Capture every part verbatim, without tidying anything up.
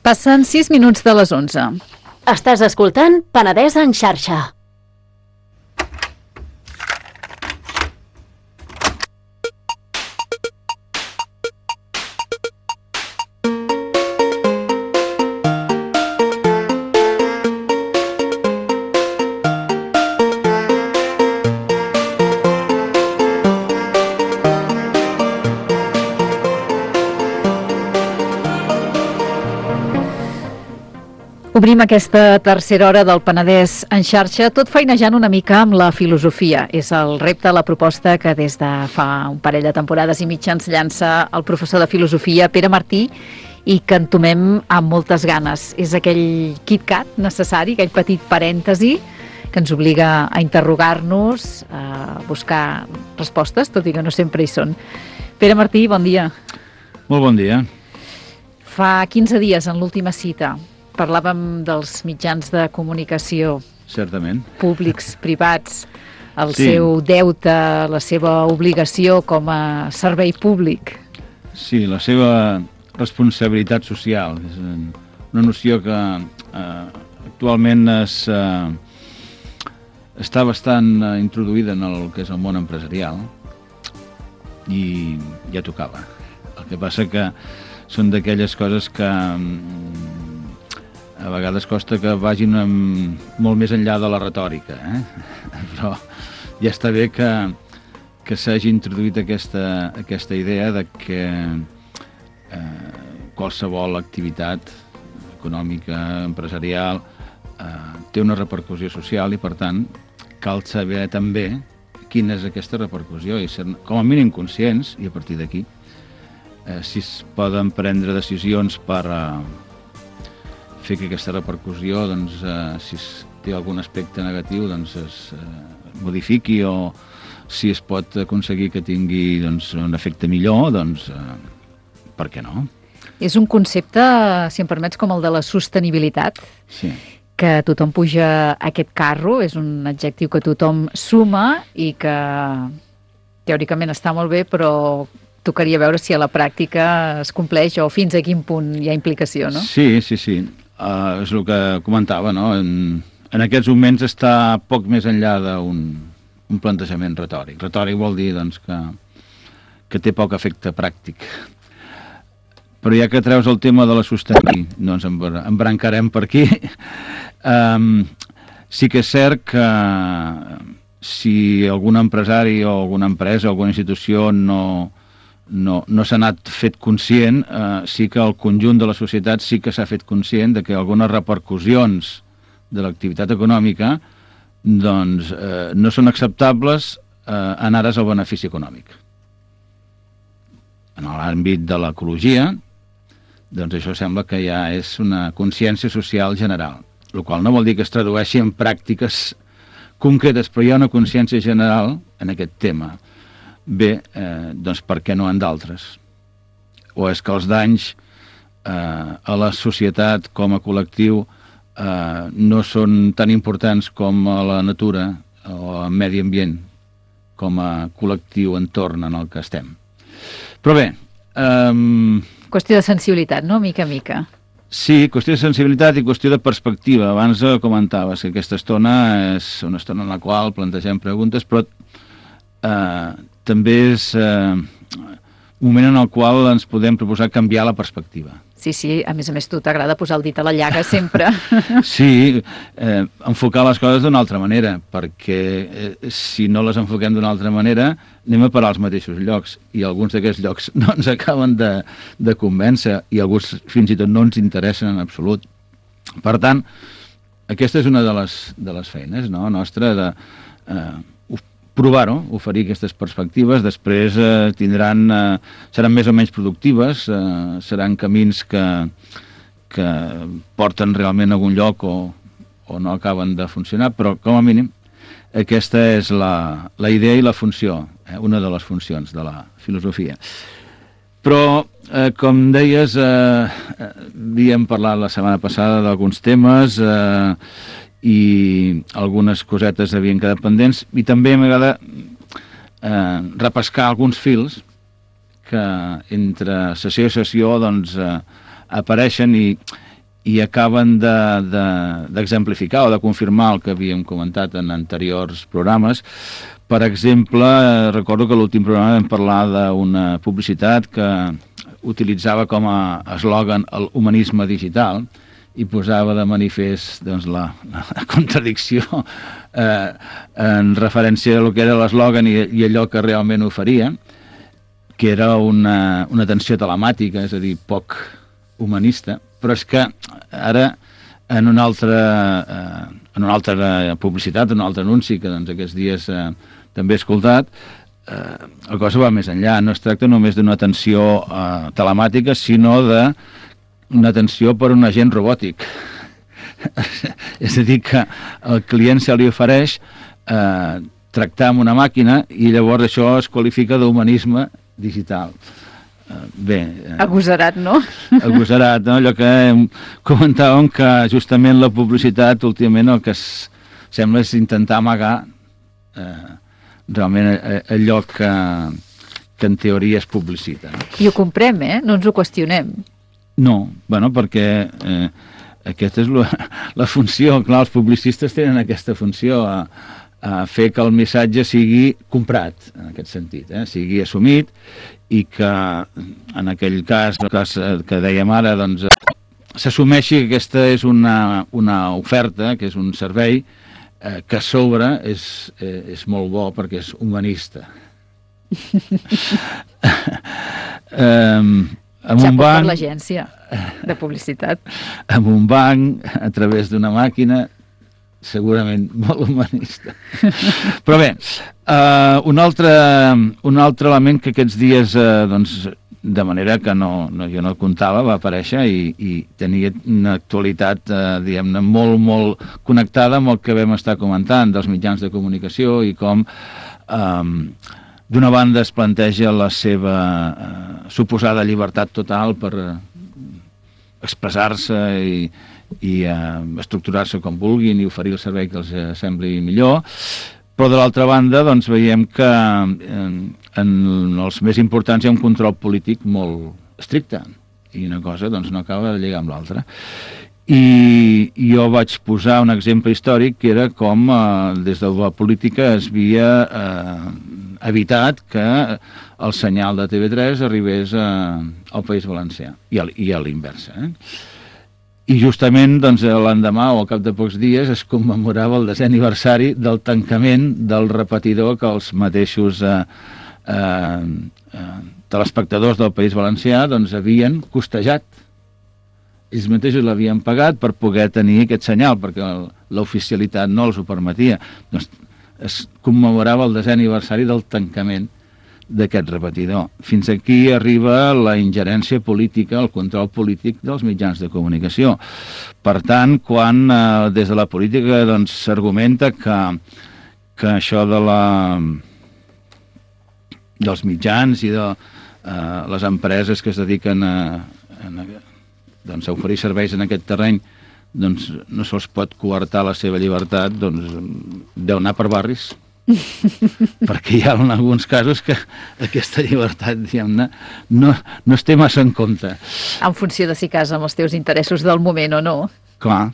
Passen sis minuts de les onze. Estàs escoltant Penedès en xarxa. Obrim aquesta tercera hora del Penedès en xarxa, tot feinejant una mica amb la filosofia. És el repte, la proposta que des de fa un parell de temporades i mitja ens llança el professor de filosofia Pere Martí i que entomem amb moltes ganes. És aquell KitKat necessari, aquell petit parèntesi que ens obliga a interrogar-nos, a buscar respostes, tot i que no sempre hi són. Pere Martí, bon dia. Molt bon dia. Fa quinze dies, en l'última cita, parlàvem dels mitjans de comunicació. Certament. Públics, privats, el sí. seu deute, la seva obligació com a servei públic. Sí, la seva responsabilitat social. És una noció que eh, actualment es, eh, està bastant eh, introduïda en el que és el món empresarial i ja tocava. El que passa que són d'aquelles coses que a vegades costa que vagin amb, molt més enllà de la retòrica, eh? Però ja està bé que, que s'hagi introduït aquesta, aquesta idea de que eh, qualsevol activitat econòmica, empresarial, eh, té una repercussió social i, per tant, cal saber també quina és aquesta repercussió i ser com a mínim conscients, i a partir d'aquí, eh, si es poden prendre decisions per Eh, fer que aquesta repercussió, doncs, eh, si es té algun aspecte negatiu, doncs es eh, modifiqui, o si es pot aconseguir que tingui doncs, un efecte millor, doncs eh, per què no? És un concepte, si em permets, com el de la sostenibilitat, sí. Que tothom puja a aquest carro, és un adjectiu que tothom suma i que teòricament està molt bé, però tocaria veure si a la pràctica es compleix o fins a quin punt hi ha implicació, no? Sí, sí, sí. Uh, és el que comentava, no? En, en aquests moments està poc més enllà d'un un plantejament retòric. Retòric vol dir, doncs, que, que té poc efecte pràctic. Però ja que treus el tema de la sostenibilitat, no ens embrancarem per aquí. Um, sí que és cert que si algun empresari o alguna empresa o alguna institució no... no, no s'ha anat fet conscient, eh, sí que el conjunt de la societat sí que s'ha fet conscient de que algunes repercussions de l'activitat econòmica doncs, eh, no són acceptables eh, en ares al benefici econòmic. En l'àmbit de l'ecologia, doncs això sembla que ja és una consciència social general, el qual no vol dir que es tradueixi en pràctiques concretes, però hi ha una consciència general en aquest tema. Bé, eh, doncs per què no en d'altres? O és que els danys eh, a la societat com a col·lectiu eh, no són tan importants com a la natura o al medi ambient, com a col·lectiu entorn en el que estem. Però bé... Eh, qüestió de sensibilitat, no? Mica a mica. Sí, qüestió de sensibilitat i qüestió de perspectiva. Abans comentaves que aquesta estona és una estona en la qual plantegem preguntes, però eh, també és eh, un moment en el qual ens podem proposar canviar la perspectiva. Sí, sí, a més a més tu t'agrada posar el dit a la llaga sempre. Sí, eh, enfocar les coses d'una altra manera, perquè eh, si no les enfoquem d'una altra manera anem a parar als mateixos llocs, i alguns d'aquests llocs no ens acaben de, de convèncer, i alguns fins i tot no ens interessen en absolut. Per tant, aquesta és una de les, de les feines, no?, nostra, de eh, provar-ho, oferir aquestes perspectives. Després eh, tindran, eh, seran més o menys productives, eh, seran camins que, que porten realment a algun lloc o, o no acaben de funcionar, però com a mínim aquesta és la, la idea i la funció, eh, una de les funcions de la filosofia. Però, eh, com deies, eh, havíem parlat la setmana passada d'alguns temes, eh, i algunes cosetes havien quedat pendents, i també m'agrada eh, repescar alguns fils que entre sessió i sessió doncs, eh, apareixen, i, i acaben d'exemplificar de, de, o de confirmar el que havíem comentat en anteriors programes. Per exemple, recordo que a l'últim programa vam parlar d'una publicitat que utilitzava com a eslògan el humanisme digital i posava de manifest doncs, la, la contradicció eh, en referència a lo que era l'eslògan i, i allò que realment oferia, que era una, una atenció telemàtica, és a dir, poc humanista, però és que ara en una altra, eh, en una altra publicitat, en un altre anunci que doncs, aquests dies eh, també he escoltat, eh, la cosa va més enllà. No es tracta només d'una atenció eh, telemàtica, sinó d'una atenció per un agent robòtic. És a dir, que el client se li ofereix eh, tractar amb una màquina i llavors això es qualifica d'humanisme digital. Bé, agosarat, no? Agosarat, no? Allò que comentàvem que justament la publicitat últimament el que es, sembla és intentar amagar eh, realment allò que, que en teoria es publicita. I ho comprem, eh? No ens ho qüestionem. No, bueno, perquè eh, aquesta és la, la funció, clar, els publicistes tenen aquesta funció a, a fer que el missatge sigui comprat, en aquest sentit, eh? Sigui assumit, i que en aquell cas, el cas que dèiem ara, doncs, s'assumeixi que aquesta és una, una oferta, que és un servei eh, que a sobre és, eh, és molt bo perquè és humanista. um, amb ja un pot banc, per l'agència de publicitat. Amb un banc, a través d'una màquina, segurament molt humanista. Però bé, uh, un, altre, un altre element que aquests dies, uh, doncs, de manera que no, no, jo no comptava, va aparèixer i, i tenia una actualitat, uh, diguem-ne, molt, molt connectada amb el que vam estar comentant dels mitjans de comunicació i com, um, d'una banda, es planteja la seva uh, suposada llibertat total per uh, expressar-se i i eh, estructurar-se com vulguin i oferir el servei que els eh, sembli millor, però de l'altra banda doncs veiem que eh, en els més importants hi ha un control polític molt estricte i una cosa doncs no acaba de lligar amb l'altra. I jo vaig posar un exemple històric que era com eh, des de la política es havia eh, evitat que el senyal de T V tres arribés eh, al País Valencià i a, i a l'inversa, eh? I justament doncs, l'endemà o al cap de pocs dies es commemorava el desè aniversari del tancament del repetidor que els mateixos eh, eh, eh, telespectadors del País Valencià doncs, havien costejat. Ells mateixos l'havien pagat per poder tenir aquest senyal, perquè l'oficialitat no els ho permetia. Doncs es commemorava el desè aniversari del tancament d'aquest repetidor. Fins aquí arriba la ingerència política, el control polític dels mitjans de comunicació. Per tant, quan eh, des de la política doncs, s'argumenta que, que això de la, dels mitjans i de eh, les empreses que es dediquen a, a, doncs, a oferir serveis en aquest terreny doncs, no se'ls pot coartar la seva llibertat, doncs deu anar per barris. Perquè hi ha en alguns casos que aquesta llibertat, diguem-ne, no, no es té massa en compte. En funció de si casa amb els teus interessos del moment o no. Clar.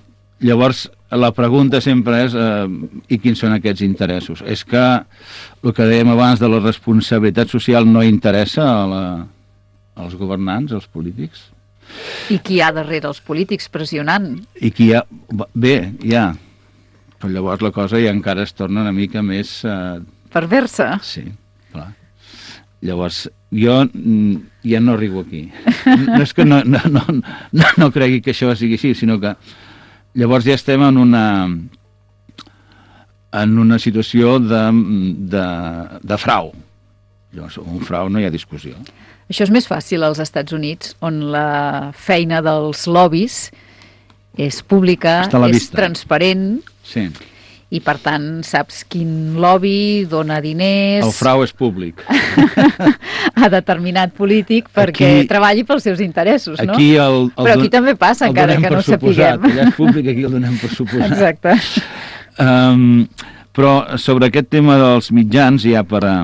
Llavors, la pregunta sempre és eh, i quins són aquests interessos? És que el que dèiem abans de la responsabilitat social no interessa a la, als governants, als polítics? I qui hi ha darrere els polítics pressionant? I qui hi ha... Bé, hi ha... Però llavors la cosa ja encara es torna una mica més... Eh... Perversa? Sí, clar. Llavors, jo ja no arribo aquí. No és que no, no, no, no, no cregui que això sigui així, sinó que llavors ja estem en una, en una situació de, de, de frau. Llavors, un frau no hi ha discussió. Això és més fàcil als Estats Units, on la feina dels lobbies és pública, és vista. Transparent, sí. I per tant saps quin lobby dona diners... El frau és públic. a determinat polític perquè aquí, treballi pels seus interessos, no? Aquí el, el Però aquí don, també passa, encara que no ho sapiguem. Allà és públic, aquí el donem per suposat. Exacte. Um, però sobre aquest tema dels mitjans, ja per a,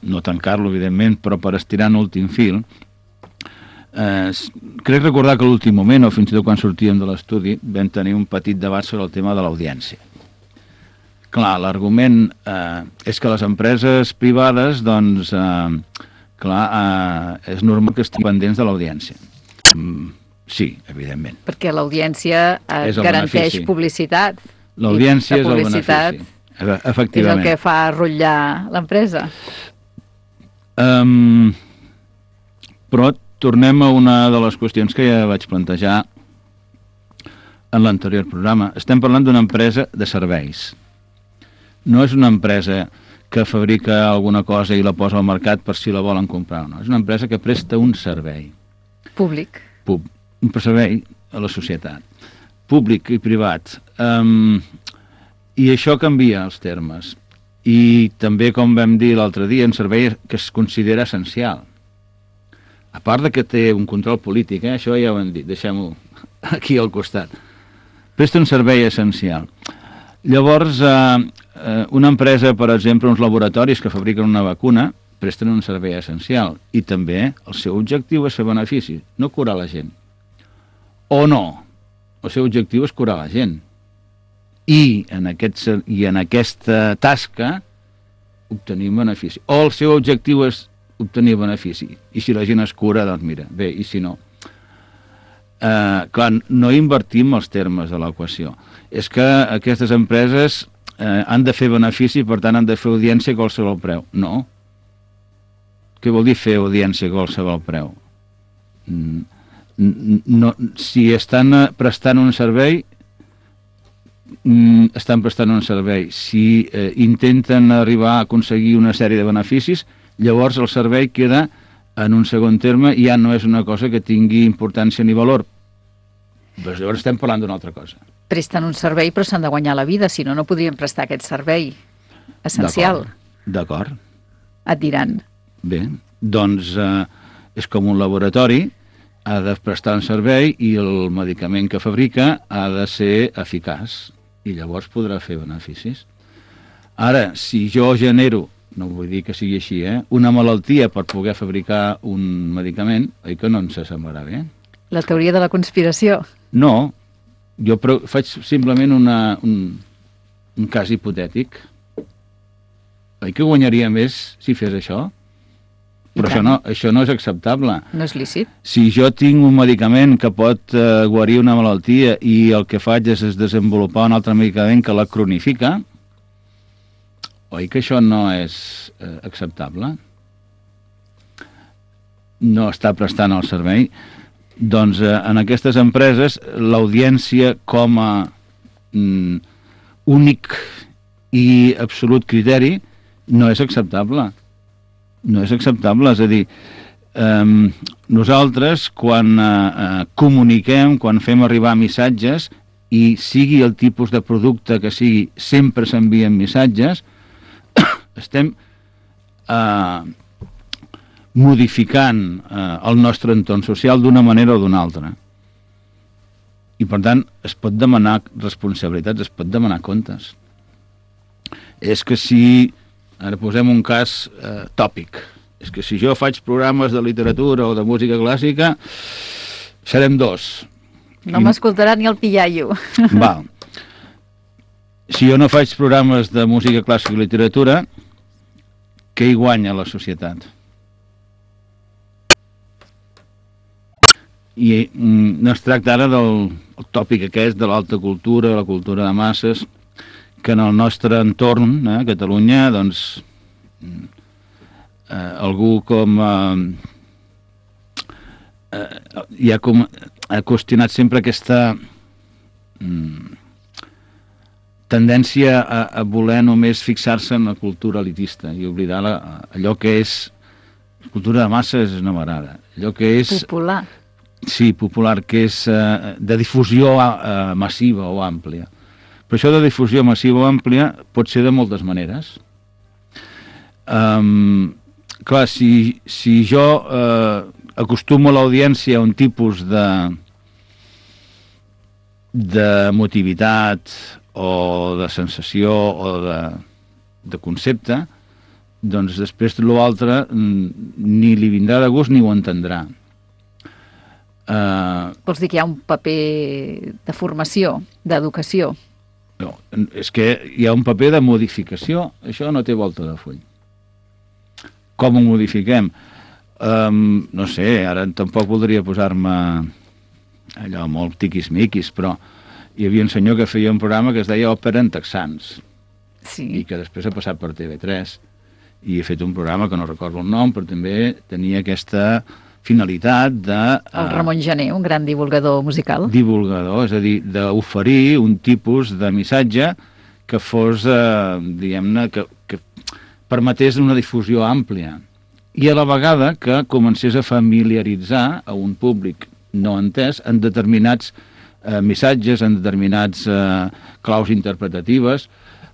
no tancar-lo, evidentment, però per estirar en últim fil, Eh, crec recordar que a l'últim moment, o fins i tot quan sortíem de l'estudi, vam tenir un petit debat sobre el tema de l'audiència. Clar, l'argument eh, és que les empreses privades, doncs, eh, clar, eh, és normal que estiguin pendents de l'audiència. Mm, sí, evidentment. Perquè l'audiència eh, garanteix benefici. Publicitat. L'audiència és el benefici. Efectivament. És el que fa rotllar l'empresa. Um, però tornem a una de les qüestions que ja vaig plantejar en l'anterior programa. Estem parlant d'una empresa de serveis. No és una empresa que fabrica alguna cosa i la posa al mercat per si la volen comprar o no. És una empresa que presta un servei. Públic. Pub, un servei a la societat. Públic i privat. Um, I això canvia els termes. I també, com vam dir l'altre dia, un servei que es considera essencial. A part de que té un control polític, eh? Això ja ho hem dit, deixem-ho aquí al costat. Presta un servei essencial. Llavors, eh, una empresa, per exemple, uns laboratoris que fabriquen una vacuna, presten un servei essencial. I també el seu objectiu és fer benefici, no curar la gent. O no, el seu objectiu és curar la gent. I en, aquest, i en aquesta tasca obtenir benefici. O el seu objectiu és obtenir benefici. I si la gent es cura, doncs mira, bé, i si no. Eh, clar, no invertim els termes de l'equació. És que aquestes empreses eh, han de fer benefici, per tant han de fer audiència a qualsevol preu. No. Què vol dir fer audiència a qualsevol preu? No, si estan prestant un servei, estan prestant un servei. Si eh, intenten arribar a aconseguir una sèrie de beneficis, llavors el servei queda en un segon terme i ja no és una cosa que tingui importància ni valor. Però llavors estem parlant d'una altra cosa. Presten un servei però s'han de guanyar la vida, si no, no podrien prestar aquest servei essencial. D'acord. Et diran. Bé, doncs eh, és com un laboratori, ha de prestar un servei i el medicament que fabrica ha de ser eficaç i llavors podrà fer beneficis. Ara, si jo genero, no vull dir que sigui així, eh, una malaltia per poder fabricar un medicament, oi que no ens semblarà bé? La teoria de la conspiració. No, jo faig simplement una, un, un cas hipotètic. Oi que guanyaria més si fes això? Però això no, això no és acceptable. No és lícit. Si jo tinc un medicament que pot eh, guarir una malaltia i el que faig és, és desenvolupar un altre medicament que la cronifica, oi que això no és eh, acceptable? No està prestant el servei. Doncs eh, en aquestes empreses l'audiència com a mm, únic i absolut criteri no és acceptable. No és acceptable, és a dir, eh, nosaltres quan eh, comuniquem, quan fem arribar missatges, i sigui el tipus de producte que sigui, sempre s'envien missatges, estem eh, modificant eh, el nostre entorn social d'una manera o d'una altra. I per tant es pot demanar responsabilitats, es pot demanar comptes. És que si... Ara posem un cas eh, tòpic. És que si jo faig programes de literatura o de música clàssica, serem dos. No I... m'escoltarà ni el pillaio. Val. Si jo no faig programes de música clàssica i literatura, què hi guanya la societat? I mm, no es tracta ara del tòpic aquest de l'alta cultura, la cultura de masses, que en el nostre entorn, eh, a Catalunya, doncs, eh, algú com... Eh, eh, ja com ha qüestionat sempre aquesta mm, tendència a, a voler només fixar-se en la cultura elitista i oblidar la, allò que és... Cultura de masses no m'agrada. Allò que és... Popular. Sí, popular, que és eh, de difusió eh, massiva o àmplia. Però això de difusió massiva o àmplia pot ser de moltes maneres. Um, clar, si, si jo eh, acostumo a l'audiència a un tipus de d'emotivitat o de sensació o de, de concepte, doncs després l'altre ni li vindrà de gust ni ho entendrà. Uh, Vols dir que hi ha un paper de formació, d'educació? no, és que hi ha un paper de modificació. Això no té volta de full. Com ho modifiquem? Um, no sé, ara tampoc voldria posar-me allò molt tiquis-miquis, però hi havia un senyor que feia un programa que es deia Òpera en texans, Sí. i que després ha passat per T V tres, i he fet un programa que no recordo el nom, però també tenia aquesta finalitat de... El Ramon Gené, un gran divulgador musical. Divulgador, és a dir, d'oferir un tipus de missatge que fos, eh, diguem-ne, que, que permetés una difusió àmplia, i a la vegada que comencés a familiaritzar a un públic no entès en determinats eh, missatges, en determinats eh, claus interpretatives.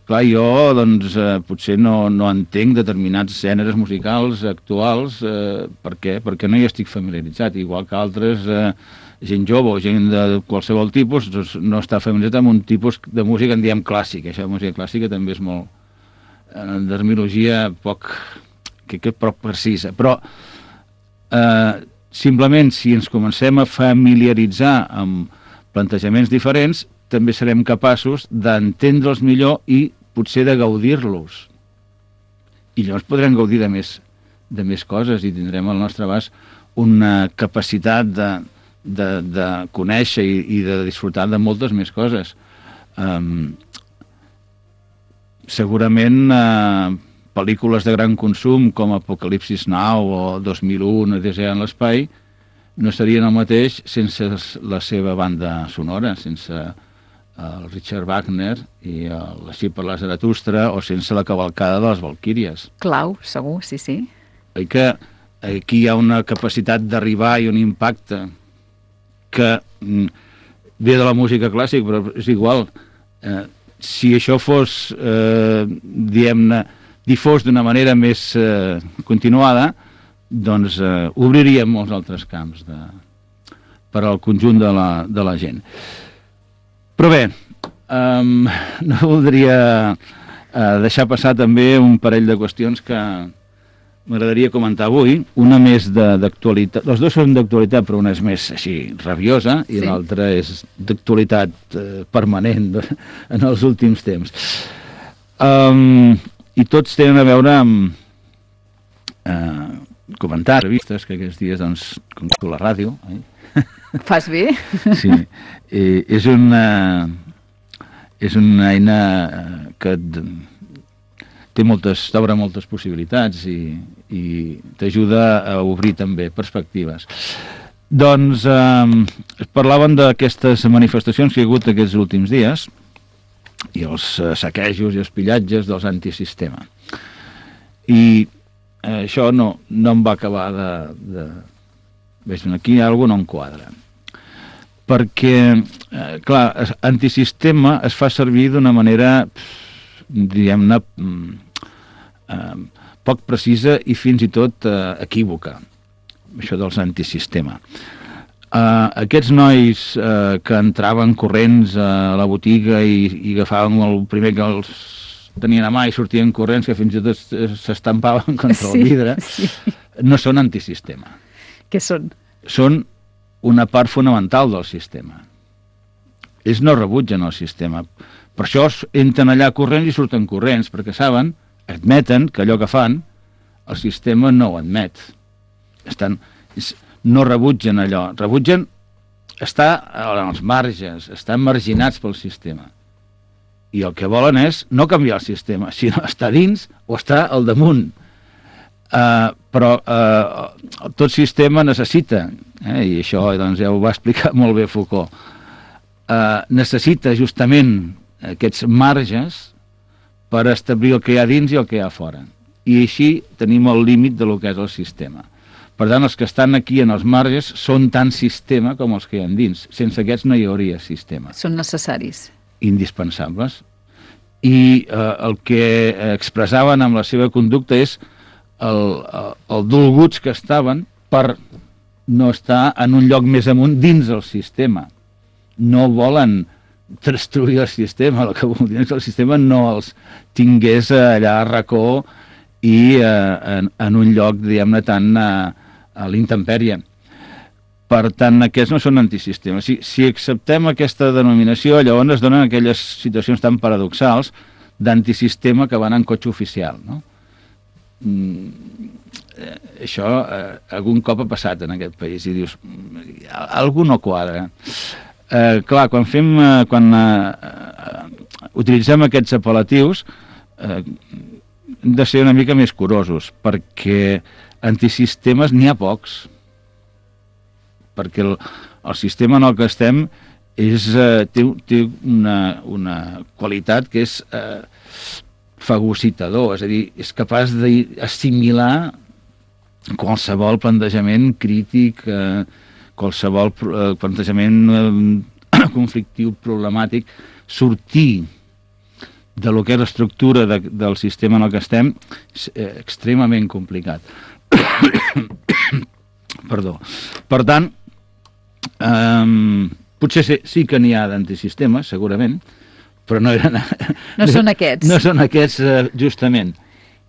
Clar, jo, doncs, eh, potser no, no entenc determinats gèneres musicals actuals. Eh, per què? Perquè no hi estic familiaritzat, igual que altres, eh, gent jove o gent de qualsevol tipus, doncs, no està familiaritzat amb un tipus de música en diem clàssica. Això de música clàssica també és molt... en terminologia poc... que, que poc precisa. Però, eh, simplement, si ens comencem a familiaritzar amb plantejaments diferents, també serem capaços d'entendre'ls millor i potser de gaudir-los. I llavors podrem gaudir de més, de més coses i tindrem al nostre abast una capacitat de, de, de conèixer i, i de disfrutar de moltes més coses. Um, segurament uh, pel·lícules de gran consum com Apocalipsis Now o dos mil u, Odissea en l'espai, no serien el mateix sense la seva banda sonora, sense el Richard Wagner i el Així per la Zaratustra, o sense la cavalcada de les Valquíries. Clau, segur, sí, sí. Oi que aquí hi ha una capacitat d'arribar i un impacte que ve de la música clàssica, però és igual. Eh, si això fos, eh, diguem-ne, difós d'una manera més eh, continuada, doncs eh, obriríem molts altres camps de, per al conjunt de la, de la gent. Però bé, um, no voldria uh, deixar passar també un parell de qüestions que m'agradaria comentar avui. Una més d'actualitat, les dues són d'actualitat, però una és més així rabiosa i sí. L'altra és d'actualitat uh, permanent en els últims temps. Um, I tots tenen a veure amb uh, comentaris, revistes, que aquests dies, doncs, com tu la ràdio, eh? Fas bé? Sí, eh, és una és una eina que té moltes, t'obre moltes possibilitats i, i t'ajuda a obrir també perspectives. Doncs eh, parlaven d'aquestes manifestacions que hi ha hagut aquests últims dies i els eh, saquejos i els pillatges dels antisistema. I eh, això no, no em va acabar de... de Ves, aquí hi ha alguna cosa no enquadra. Perquè, eh, clar, antisistema es fa servir d'una manera, diguem-ne, eh, poc precisa i fins i tot eh, equívoca, això dels antisistema. Eh, aquests nois eh, que entraven corrents a la botiga i, i agafaven el primer que els tenien a mà i sortien corrents, que fins i tot s'estampaven contra sí, el vidre, sí. No són antisistema. Què són? Són una part fonamental del sistema. Ells no rebutgen el sistema. Per això entren allà corrents i surten corrents, perquè saben, admeten que allò que fan, el sistema no ho admet. Estan, no rebutgen allò. Rebutgen estar als marges, estan marginats pel sistema. I el que volen és no canviar el sistema, sinó estar dins o estar al damunt. Uh, però uh, tot sistema necessita, eh, i això doncs, ja ho va explicar molt bé Foucault, uh, necessita justament aquests marges per establir el que hi ha dins i el que hi ha fora. I així tenim el límit de lo que és el sistema. Per tant, els que estan aquí en els marges són tan sistema com els que hi ha dins. Sense aquests no hi hauria sistema. Són necessaris. Indispensables. I uh, el que expressaven amb la seva conducta és El, el, el dolguts que estaven per no estar en un lloc més amunt dins del sistema. No volen destruir el sistema, el que voldrien és que el sistema no els tingués allà a racó i eh, en, en un lloc, diguem-ne, tan a, a l'intempèrie. Per tant, aquests no són antisistemes. Si, si acceptem aquesta denominació, llavors es donen aquelles situacions tan paradoxals d'antisistema que van en cotxe oficial, no? Mm, eh, això eh, algun cop ha passat en aquest país i dius, algú no quadra. Eh, clar, quan fem eh, quan eh, eh, utilitzem aquests apel·latius eh, hem de ser una mica més curosos, perquè antisistemes n'hi ha pocs, perquè el, el sistema en el que estem és, eh, té, té una, una qualitat que és eh, fagocitador, és a dir, és capaç d'assimilar qualsevol plantejament crític, eh, qualsevol eh, plantejament eh, conflictiu, problemàtic, sortir de lo que és l'estructura de, del sistema en el que estem és eh, extremament complicat. Perdó. Per tant, eh, potser sí, sí que n'hi ha d'antisistemes, segurament, però no eren... No són aquests. No són aquests, eh, justament.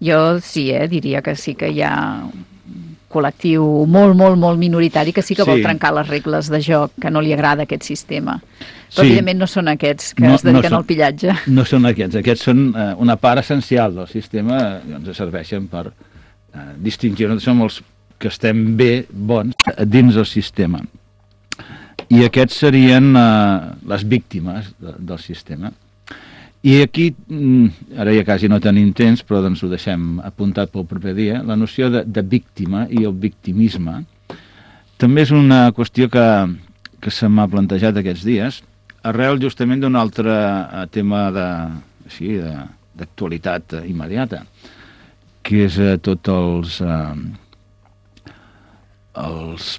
Jo sí, eh, diria que sí que hi ha un col·lectiu molt, molt, molt minoritari que sí que sí. vol trencar les regles de joc, que no li agrada aquest sistema. Però, sí. evidentment, no són aquests que no, es dediquen no són, al pillatge. No són aquests. Aquests són eh, una part essencial del sistema, eh, ens serveixen per eh, distingir. Som els que estem bé, bons, dins del sistema. I aquests serien eh, les víctimes de, del sistema. I aquí, ara ja quasi no tenim temps, però doncs ho deixem apuntat pel proper dia, la noció de, de víctima i el victimisme també és una qüestió que, que se m'ha plantejat aquests dies, arrel justament d'un altre tema de, així, de, d'actualitat immediata, que és eh, tots els, eh, els,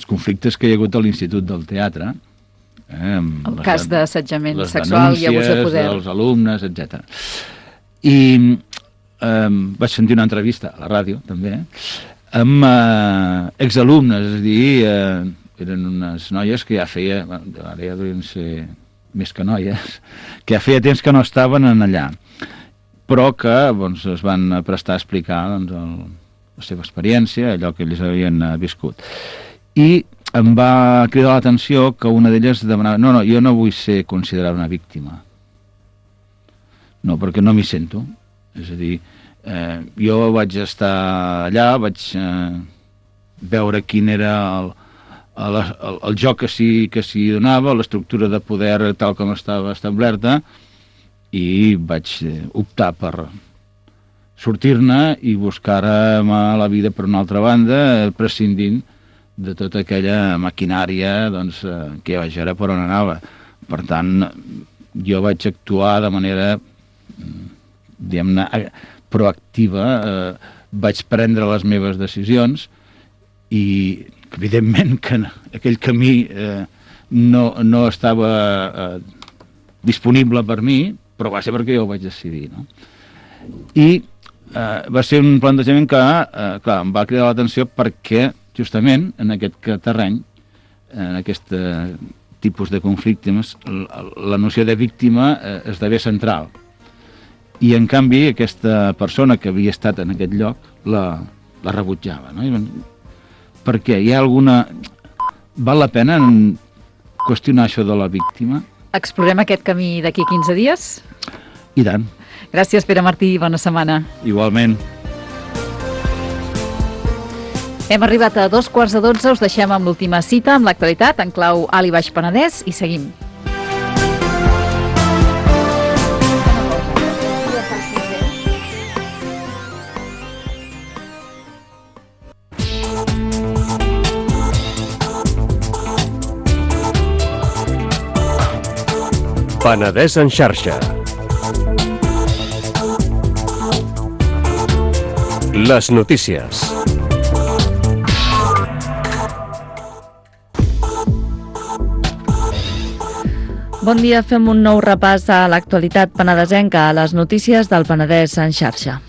els conflictes que hi ha hagut a l'Institut del Teatre, Eh, el cas d'assetjament sexual i abús de poder dels alumnes, etcètera. I eh, vaig sentir una entrevista a la ràdio també amb eh, exalumnes, és a dir, eh, eren unes noies que ja feia, ara ja deuen ser més que noies, que ja feia temps que no estaven en allà, però que doncs, es van prestar a explicar doncs, el, la seva experiència, allò que ells havien eh, viscut. I em va cridar l'atenció que una d'elles demanava, no, no, jo no vull ser considerada una víctima. No, perquè no m'hi sento. És a dir, eh, jo vaig estar allà, vaig eh, veure quin era el, el, el, el joc que s'hi que s'hi donava, l'estructura de poder tal com estava establerta, i vaig eh, optar per sortir-ne i buscar-me la vida per una altra banda, prescindint de tota aquella maquinària doncs, eh, que ja vaig veure per on anava. Per tant, jo vaig actuar de manera diguem-ne proactiva, eh, vaig prendre les meves decisions i evidentment que aquell camí eh, no, no estava eh, disponible per mi, però va ser perquè jo ho vaig decidir, no? I eh, va ser un plantejament que eh, clar, em va cridar l'atenció perquè justament en aquest terreny, en aquest eh, tipus de conflictes, la, la noció de víctima eh, esdevé central. I, en canvi, aquesta persona que havia estat en aquest lloc la, la rebutjava. No? Per què? Hi ha alguna... Val la pena qüestionar això de la víctima? Explorem aquest camí d'aquí quinze dies? I tant. Gràcies, Pere Martí. Bona setmana. Igualment. Hem arribat a dos quarts de dotze, us deixem amb l'última cita, amb l'actualitat, en clau Alt i Baix Penedès, i seguim. Penedès en xarxa. Les notícies. Bon dia, fem un nou repàs a l'actualitat penedesenca, a les notícies del Penedès en xarxa.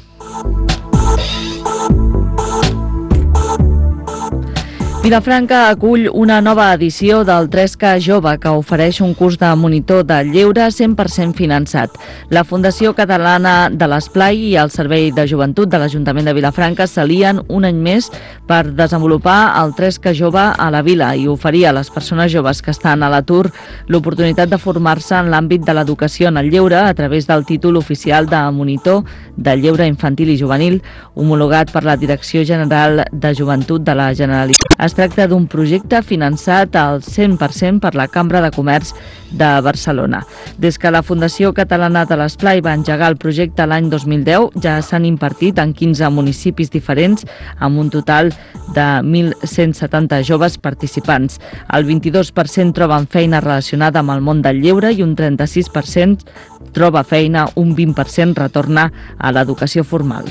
Vilafranca acull una nova edició del tres K Jove que ofereix un curs de monitor de lleure cent per cent finançat. La Fundació Catalana de l'Esplai i el Servei de Joventut de l'Ajuntament de Vilafranca s'alien un any més per desenvolupar el tres K Jove a la vila i oferir a les persones joves que estan a l'atur l'oportunitat de formar-se en l'àmbit de l'educació en el lleure a través del títol oficial de monitor de lleure infantil i juvenil homologat per la Direcció General de Joventut de la Generalitat. Es tracta d'un projecte finançat al cent per cent per la Cambra de Comerç de Barcelona. Des que la Fundació Catalana de l'Esplai va engegar el projecte l'any dos mil deu, ja s'han impartit en quinze municipis diferents, amb un total de mil cent setanta joves participants. El vint-i-dos per cent troben feina relacionada amb el món del lleure i un trenta-sis per cent troba feina, un vint per cent retorna a l'educació formal.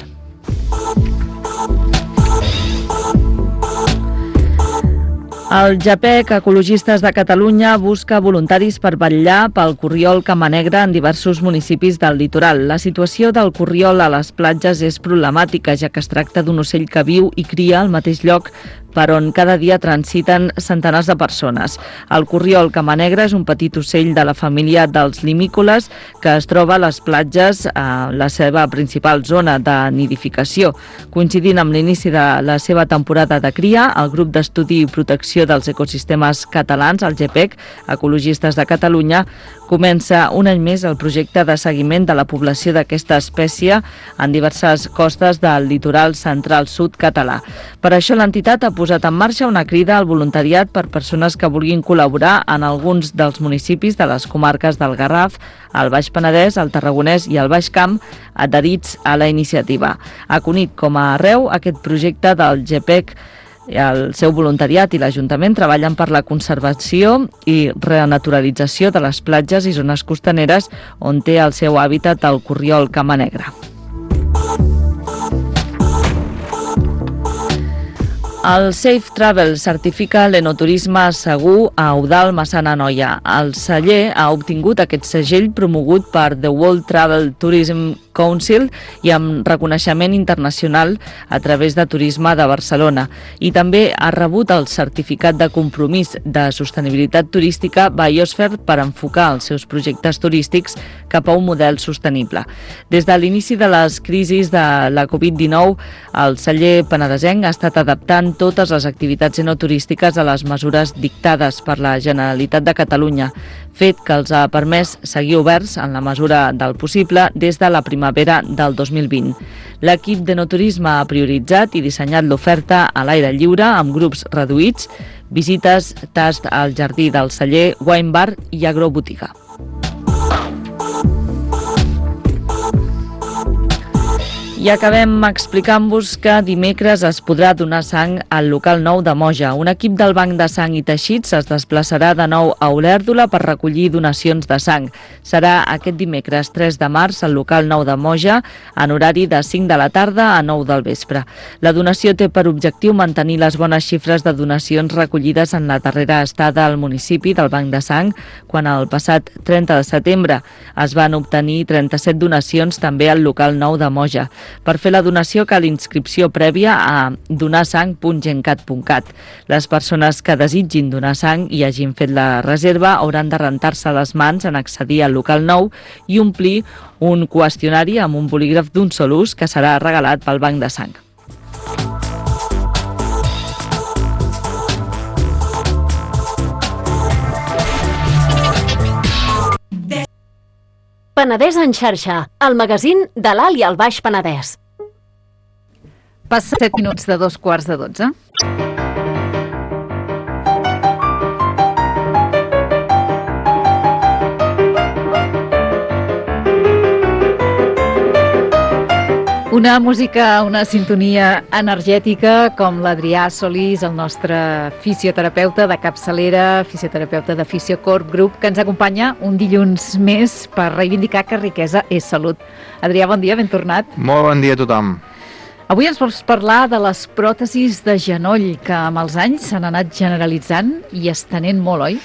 El JAPEC, Ecologistes de Catalunya, busca voluntaris per vetllar pel corriol camanegre en diversos municipis del litoral. La situació del corriol a les platges és problemàtica, ja que es tracta d'un ocell que viu i cria al mateix lloc per on cada dia transiten centenars de persones. El corriol camanegre és un petit ocell de la família dels limícoles que es troba a les platges, a la seva principal zona de nidificació. Coincidint amb l'inici de la seva temporada de cria, el grup d'estudi i protecció dels ecosistemes catalans, el JAPEC, Ecologistes de Catalunya, comença un any més el projecte de seguiment de la població d'aquesta espècie en diverses costes del litoral central sud català. Per això l'entitat ha posat en marxa una crida al voluntariat per persones que vulguin col·laborar en alguns dels municipis de les comarques del Garraf, el Baix Penedès, el Tarragonès i el Baix Camp, adherits a la iniciativa. A Cunit com a arreu, aquest projecte del JAPEC, el seu voluntariat i l'Ajuntament treballen per la conservació i renaturalització de les platges i zones costaneres on té el seu hàbitat el corriol camanegre. El Safe Travel certifica l'enoturisme segur a Eudald Massana Noia. El celler ha obtingut aquest segell promogut per The World Travel Tourism Council i amb reconeixement internacional a través de Turisme de Barcelona. I també ha rebut el certificat de compromís de sostenibilitat turística Biosphere per enfocar els seus projectes turístics cap a un model sostenible. Des de l'inici de les crisis de la covid dinou, el celler penedesenc ha estat adaptant totes les activitats enoturístiques a les mesures dictades per la Generalitat de Catalunya, fet que els ha permès seguir oberts en la mesura del possible des de la primavera del dos mil vint. L'equip d'enoturisme ha prioritzat i dissenyat l'oferta a l'aire lliure amb grups reduïts, visites, tast al jardí del celler, wine bar i agrobotiga. I acabem explicant-vos que dimecres es podrà donar sang al local nou de Moja. Un equip del Banc de Sang i Teixits es desplaçarà de nou a Olèrdola per recollir donacions de sang. Serà aquest dimecres tres de març al local nou de Moja en horari de cinc de la tarda a nou del vespre. La donació té per objectiu mantenir les bones xifres de donacions recollides en la darrera estada al municipi del Banc de Sang, quan el passat trenta de setembre es van obtenir trenta-set donacions també al local nou de Moja. Per fer la donació cal inscripció prèvia a donarsang punt gencat punt cat. Les persones que desitgin donar sang i hagin fet la reserva hauran de rentar-se les mans en accedir al local nou i omplir un qüestionari amb un bolígraf d'un sol ús que serà regalat pel Banc de Sang. Penedès en xarxa, el magazín de l'Alt i el Baix Penedès. Passa set minuts de dos quarts de dotze. Una música, una sintonia energètica com l'Adrià Solís, el nostre fisioterapeuta de capçalera, fisioterapeuta de Fisiocorp Group, que ens acompanya un dilluns més per reivindicar que riquesa és salut. Adrià, bon dia, ben tornat. Molt bon dia a tothom. Avui ens vols parlar de les pròtesis de genoll, que amb els anys s'han anat generalitzant i estenent molt, oi?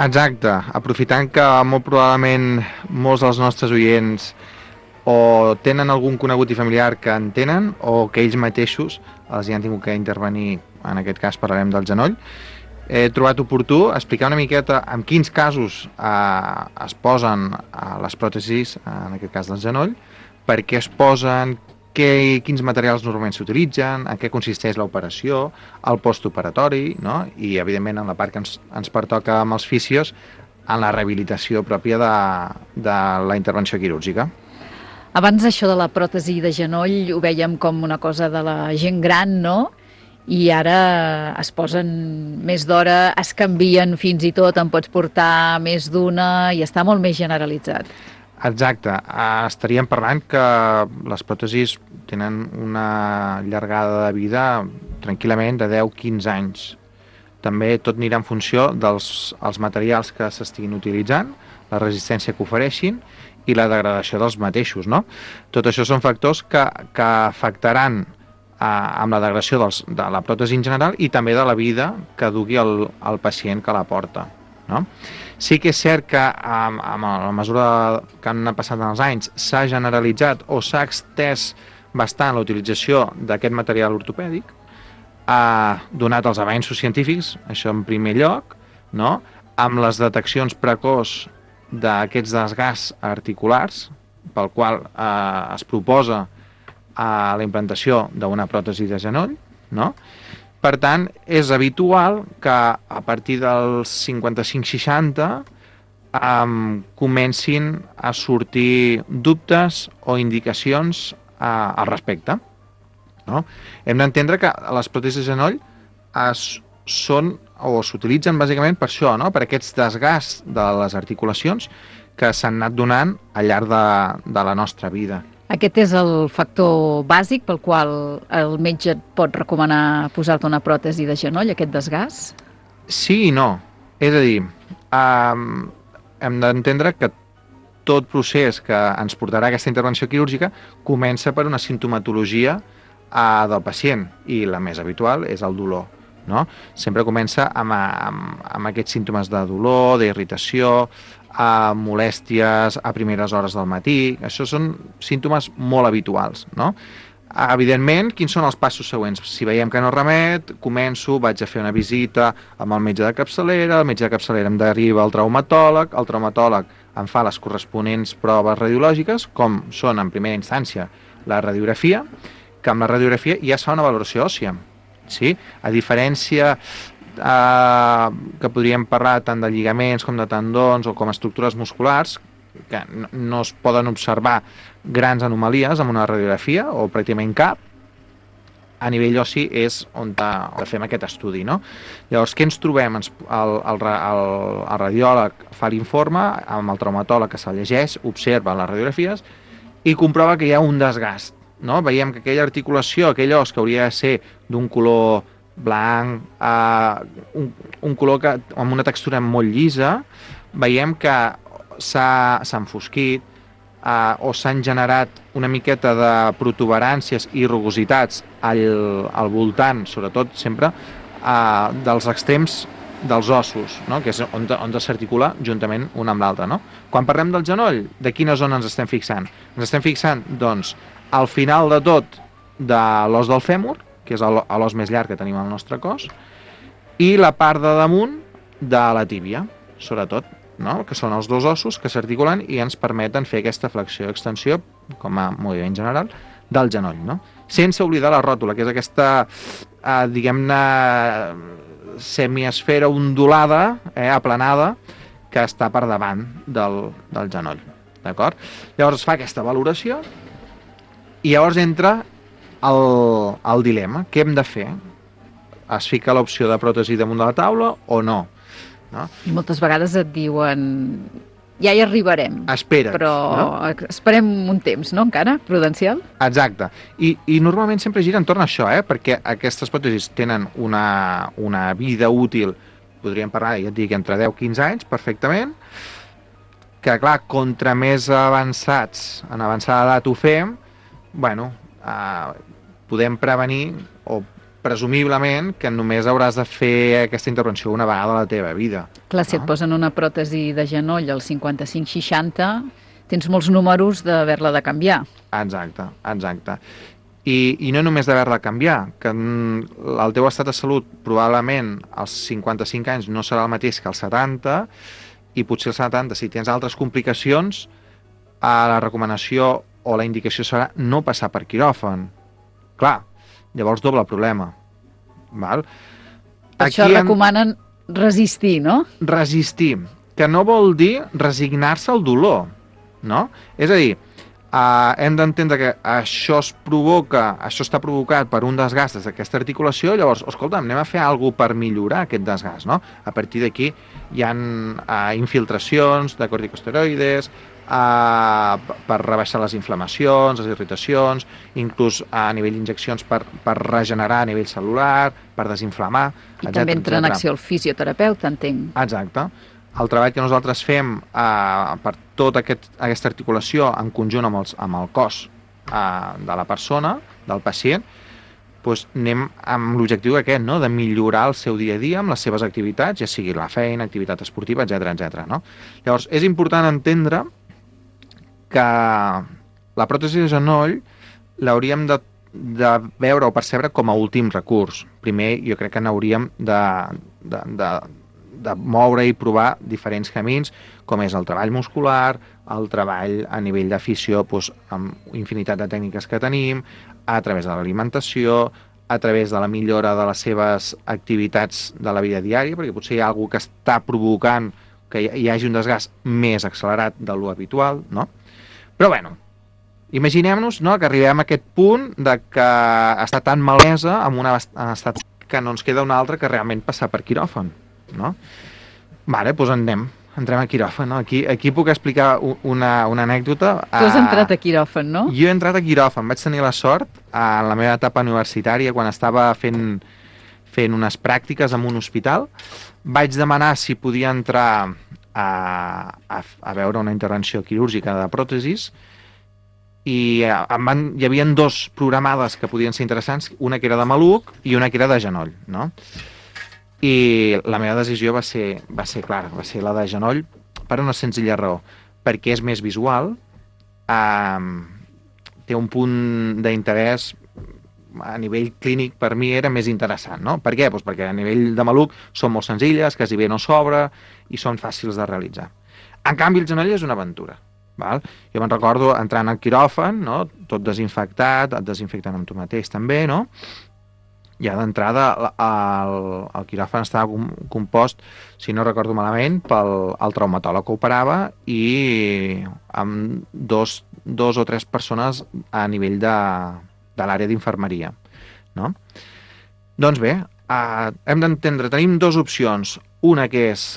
Exacte, aprofitant que molt probablement molts dels nostres oients o tenen algun conegut i familiar que en tenen, o que ells mateixos els hi han tingut que intervenir, en aquest cas parlarem del genoll. He trobat oportú explicar una miqueta en quins casos eh, es posen eh, les pròtesis, en aquest cas del genoll, per què es posen, què, quins materials normalment s'utilitzen, en què consisteix l'operació, el postoperatori, no? I, evidentment, en la part que ens, ens pertoca amb els fisios, en la rehabilitació pròpia de, de la intervenció quirúrgica. Abans això de la pròtesi de genoll ho vèiem com una cosa de la gent gran, no? I ara es posen més d'hora, es canvien fins i tot, en pots portar més d'una i està molt més generalitzat. Exacte. Estaríem parlant que les pròtesis tenen una llargada de vida tranquil·lament de deu a quinze anys. També tot anirà en funció dels els materials que s'estiguin utilitzant, la resistència que ofereixin i la degradació dels mateixos, no? Tot això són factors que, que afectaran eh, amb la degradació dels, de la pròtesi en general i també de la vida que dugui el, el pacient que la porta, no? Sí que és cert que amb, amb la mesura que han passat els anys s'ha generalitzat o s'ha extès bastant la utilització d'aquest material ortopèdic, ha donat els avenços científics, això en primer lloc, no? Amb les deteccions precoç d'aquests desgasts articulars, pel qual eh, es proposa eh, la implantació d'una pròtesi de genoll, no? Per tant, és habitual que a partir dels cinquanta-cinc seixanta eh, comencin a sortir dubtes o indicacions eh, al respecte, no? Hem d'entendre que les pròtesis de genoll es, són o s'utilitzen bàsicament per això, no? Per aquests desgasts de les articulacions que s'han anat donant al llarg de, de la nostra vida. Aquest és el factor bàsic pel qual el metge et pot recomanar posar-te una pròtesi de genoll, aquest desgast? Sí i no. És a dir, eh, hem d'entendre que tot procés que ens portarà a aquesta intervenció quirúrgica comença per una simptomatologia eh, del pacient, i la més habitual és el dolor, no? Sempre comença amb, amb, amb aquests símptomes de dolor, d'irritació, a molèsties a primeres hores del matí. Això són símptomes molt habituals, no? Evidentment, quins són els passos següents? Si veiem que no remet, començo, vaig a fer una visita amb el metge de capçalera, el metge de capçalera em deriva al traumatòleg, el traumatòleg em fa les corresponents proves radiològiques, com són en primera instància la radiografia, que amb la radiografia ja es fa una valoració òssia, sí? A diferència eh, que podríem parlar tant de lligaments com de tendons o com estructures musculars, que no, no es poden observar grans anomalies amb una radiografia o pràcticament cap, a nivell ossi és on fem aquest estudi, no? Llavors, què ens trobem? El, el, el, el radiòleg fa l'informe, amb el traumatòleg que se'l llegeix, observa les radiografies i comprova que hi ha un desgast, no? Veiem que aquella articulació, aquell os que hauria de ser d'un color blanc, eh, un, un color que, amb una textura molt llisa, veiem que s'ha enfosquit, eh, o s'han generat una miqueta de protuberàncies i rugositats al, al voltant, sobretot sempre, eh, dels extrems dels ossos, no? Que és on, on s'articula juntament un amb l'altre, no? Quan parlem del genoll, de quina zona ens estem fixant? Ens estem fixant, doncs, al final de tot de l'os del fèmur, que és l'os més llarg que tenim al nostre cos, i la part de damunt de la tíbia, sobretot, no? Que són els dos ossos que s'articulen i ens permeten fer aquesta flexió i extensió, com a moviment general, del genoll, no? Sense oblidar la ròtula, que és aquesta, eh, diguem-ne, semiesfera ondulada, eh, aplanada, que està per davant del, del genoll, d'acord? Llavors es fa aquesta valoració i llavors entra el, el dilema. Què hem de fer? Es fica l'opció de pròtesi damunt de la taula o no? No? I moltes vegades et diuen ja hi arribarem. Espera't. Però no? Esperem un temps, no, encara, prudencial? Exacte. I, i normalment sempre gira entorn a això, eh? Perquè aquestes pròtesis tenen una, una vida útil, podríem parlar, ja et dic, entre deu a quinze anys, perfectament, que, clar, contra més avançats, en avançada edat ho fem, bueno, eh, podem prevenir, o presumiblement, que només hauràs de fer aquesta intervenció una vegada a la teva vida. Clar, si no? et posen una pròtesi de genoll al cinquanta-cinc seixanta, tens molts números d'haver-la de canviar. Exacte, exacte. I, i no només d'haver-la de canviar, que el teu estat de salut probablement als cinquanta-cinc anys no serà el mateix que als setanta, i potser als setanta, si tens altres complicacions, a la recomanació o la indicació serà no passar per quiròfan. Clar, llavors doble problema. Val? Per això recomanen resistir, no? Resistir, que no vol dir resignar-se al dolor, no? És a dir, Uh, hem d'entendre que això es provoca, això està provocat per un desgast d'aquesta articulació, llavors, escolta, anem a fer alguna cosa per millorar aquest desgast, no? A partir d'aquí hi ha uh, infiltracions de corticosteroides, uh, per rebaixar les inflamacions, les irritacions, inclús a nivell d'injeccions per, per regenerar a nivell celular, per desinflamar, I etcètera, també entra en acció el fisioterapeuta, entenc. Exacte. El treball que nosaltres fem eh, per tota aquest, aquesta articulació en conjunt amb, els, amb el cos eh, de la persona, del pacient, doncs anem amb l'objectiu aquest, no? De millorar el seu dia a dia amb les seves activitats, ja sigui la feina, activitat esportiva, etcètera, etcètera. No? Llavors, és important entendre que la pròtesi de genoll l'hauríem de, de veure o percebre com a últim recurs. Primer, jo crec que n'hauríem de... de, de de moure i provar diferents camins, com és el treball muscular, el treball a nivell d'afició, doncs, amb infinitat de tècniques que tenim, a través de l'alimentació, a través de la millora de les seves activitats de la vida diària, perquè potser hi ha alguna que està provocant que hi hagi un desgast més accelerat de lo habitual, no? Però, bueno, imaginem-nos, no?, que arribem a aquest punt de que està tan malesa en un estat que no ens queda un altre que realment passar per quiròfan, no? Vale, doncs anem, entrem a quiròfan, no? Aquí, aquí puc explicar una, una anècdota. Tu has entrat a quiròfan, no? Jo he entrat a quiròfan, vaig tenir la sort en la meva etapa universitària, quan estava fent, fent unes pràctiques en un hospital, vaig demanar si podia entrar a, a, a veure una intervenció quirúrgica de pròtesis, i em van, hi havia dos programades que podien ser interessants, una que era de maluc i una que era de genoll, no? I la meva decisió va ser, va ser clara, va ser la de genoll per una senzilla raó, perquè és més visual, eh, té un punt d'interès a nivell clínic, per mi era més interessant, no? Per què? Pues perquè a nivell de maluc són molt senzilles, quasi bé no s'obre i són fàcils de realitzar. En canvi, el genoll és una aventura. Val? Jo me'n recordo entrant al quiròfan, no? Tot desinfectat, et desinfecten amb tu mateix també, no? Ja d'entrada el, el quiròfan estava compost, si no recordo malament, pel el traumatòleg que operava i amb dos, dos o tres persones a nivell de, de l'àrea d'infermeria, no? Doncs bé, eh, hem d'entendre, tenim dues opcions, una que és